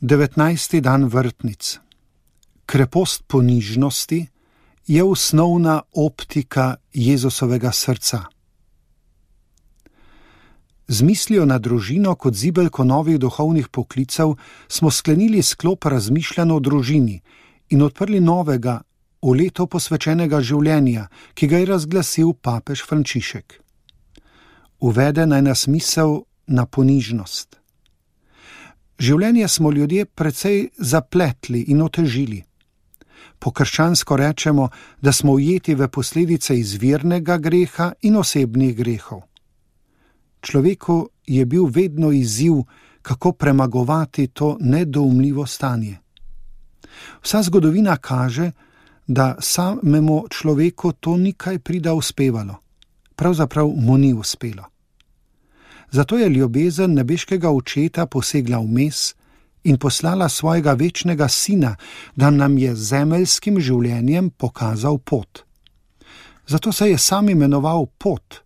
19. dan vrtnic. Krepost ponižnosti je osnovna optika Jezusovega srca. Z mislijo na družino kot zibelko novih duhovnih poklicev smo sklenili sklop razmišljanj o družini in odprli novega, v leto posvečenega življenja, ki ga je razglasil papež Frančišek. Uvede naj nas misel na ponižnost. Življenje smo ljudje precej zapletli in otežili. Po krščansko rečemo, da smo ujeti v posledice izvirnega greha in osebnih grehov. Človeku je bil vedno izziv, kako premagovati to nedoumljivo stanje. Vsa zgodovina kaže, da samemu človeku to ni kaj prida uspevalo. Pravzaprav mu ni uspelo. Zato je ljubezen nebeškega očeta posegla vmes in poslala svojega večnega sina, da nam je zemeljskim življenjem pokazal pot. Zato se je sam imenoval Pot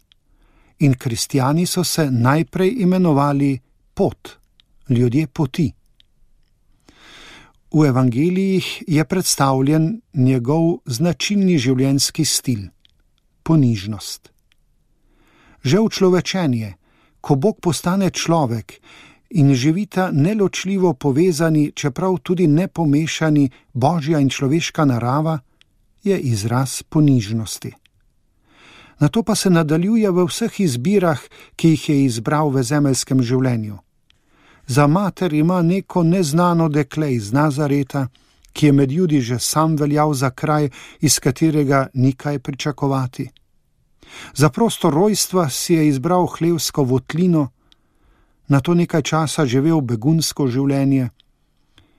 in kristjani so se najprej imenovali Pot, ljudje poti. V evangelijih je predstavljen njegov značilni življenjski stil – ponižnost. Že učlovečenje, ko Bog postane človek in živita neločljivo povezani, čeprav tudi nepomešani božja in človeška narava, je izraz ponižnosti. Nato pa se nadaljuje v vseh izbirah, ki jih je izbral v zemeljskem življenju. Za mater ima neko neznano dekle iz Nazareta, ki je med Judi že sam veljal za kraj, iz katerega ni kaj pričakovati. Za prostor rojstva si je izbral hlevsko votlino, nato nekaj časa živel begunsko življenje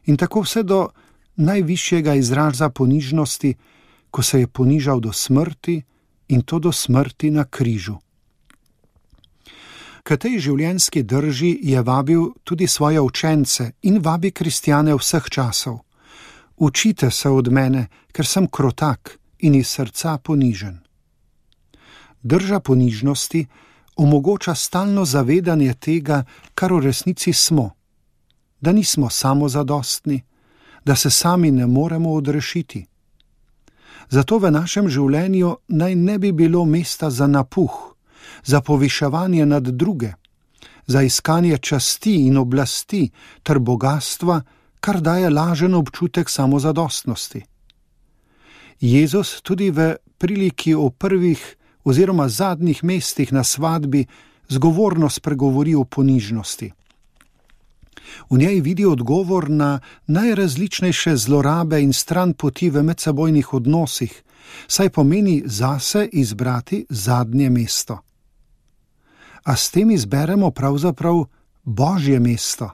in tako vse do najvišjega izraza ponižnosti, ko se je ponižal do smrti in to do smrti na križu. K tej življenjski drži je vabil tudi svoje učence in vabi kristjane vseh časov. Učite se od mene, ker sem krotak in iz srca ponižen. Drža ponižnosti omogoča stalno zavedanje tega, kar v resnici smo, da nismo samozadostni, da se sami ne moremo odrešiti. Zato v našem življenju naj ne bi bilo mesta za napuh, za poviševanje nad druge, za iskanje časti in oblasti ter bogastva, kar daje lažen občutek samozadostnosti. Jezus tudi v priliki o prvih oziroma zadnjih mestih na svadbi zgovorno spregovori o ponižnosti. V njej vidi odgovor na najrazličnejše zlorabe in stranpoti v medsebojnih odnosih, saj pomeni zase izbrati zadnje mesto. A s tem izberemo pravzaprav Božje mesto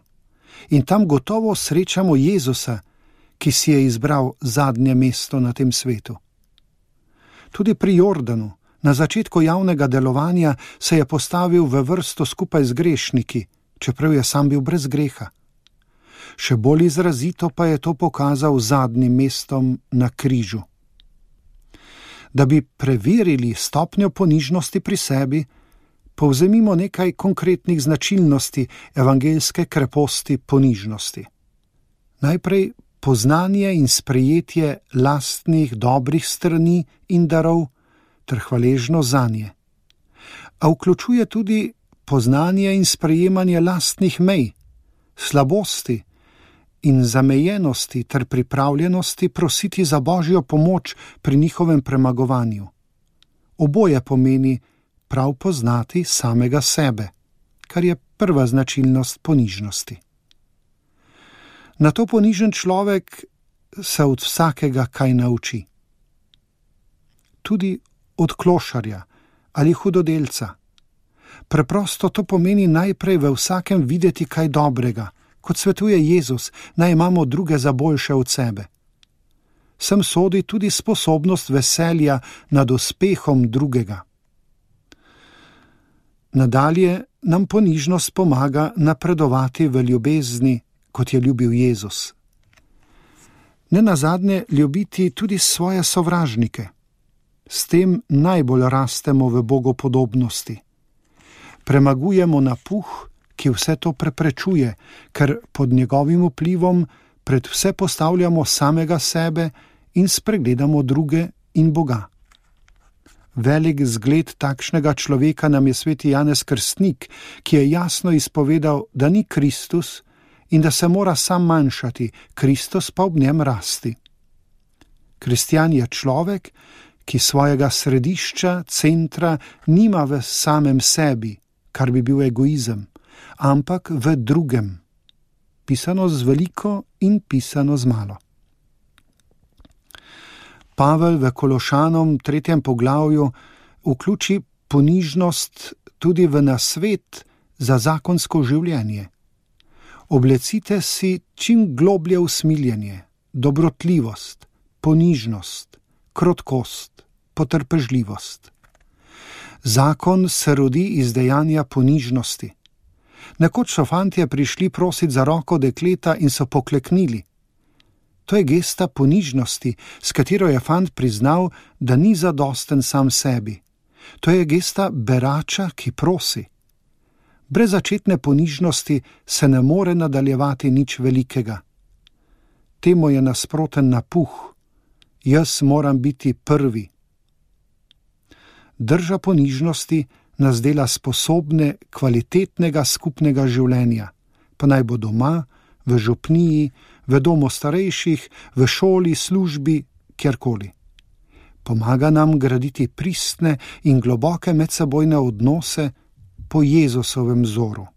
in tam gotovo srečamo Jezusa, ki si je izbral zadnje mesto na tem svetu. Tudi pri Jordanu, na začetku javnega delovanja, se je postavil v vrsto skupaj z grešniki, čeprav je sam bil brez greha. Še bolj izrazito pa je to pokazal zadnjim mestom na križu. Da bi preverili stopnjo ponižnosti pri sebi, povzemimo nekaj konkretnih značilnosti evangeljske kreposti ponižnosti. Najprej poznanje in sprejetje lastnih dobrih strani in darov ter hvaležnost zanje. A vključuje tudi poznanje in sprejemanje lastnih mej, slabosti in zamejenosti ter pripravljenosti prositi za Božjo pomoč pri njihovem premagovanju. Oboje pomeni prav poznati samega sebe, kar je prva značilnost ponižnosti. Nato ponižen človek se od vsakega kaj nauči. Tudi od klošarja ali hudodelca. Preprosto to pomeni najprej v vsakem videti kaj dobrega, kot svetuje Jezus, naj imamo druge za boljše od sebe. Sem sodi tudi sposobnost veselja nad uspehom drugega. Nadalje nam ponižnost pomaga napredovati v ljubezni, kot je ljubil Jezus. Nenazadnje ljubiti tudi svoje sovražnike. S tem najbolj rastemo v bogopodobnosti. Premagujemo napuh, ki vse to preprečuje, ker pod njegovim vplivom pred vse postavljamo samega sebe in spregledamo druge in Boga. Velik zgled takšnega človeka nam je sveti Janez Krstnik, ki je jasno izpovedal, da ni Kristus in da se mora sam manjšati, Kristus pa ob njem rasti. Kristjan je človek, ki svojega središča, centra nima v samem sebi, kar bi bil egoizem, ampak v drugem. Pisano z veliko in pisano z malo. Pavel v Kološanom 3. poglavju vključi ponižnost tudi v nasvet za zakonsko življenje. Oblecite si čim globlje usmiljenje, dobrotljivost, ponižnost, krotkost, potrpežljivost. Zakon se rodi iz dejanja ponižnosti. Nekoč so fantje prišli prosit za roko dekleta in so pokleknili. To je gesta ponižnosti, s katero je fant priznal, da ni zadosten sam sebi. To je gesta berača, ki prosi. Brez začetne ponižnosti se ne more nadaljevati nič velikega. Temu je nasproten napuh. Jaz moram biti prvi. Drža ponižnosti nas dela sposobne kvalitetnega skupnega življenja, pa naj bo doma, v župniji, v domu starejših, v šoli, službi, kjerkoli. Pomaga nam graditi pristne in globoke medsebojne odnose po Jezusovem vzoru.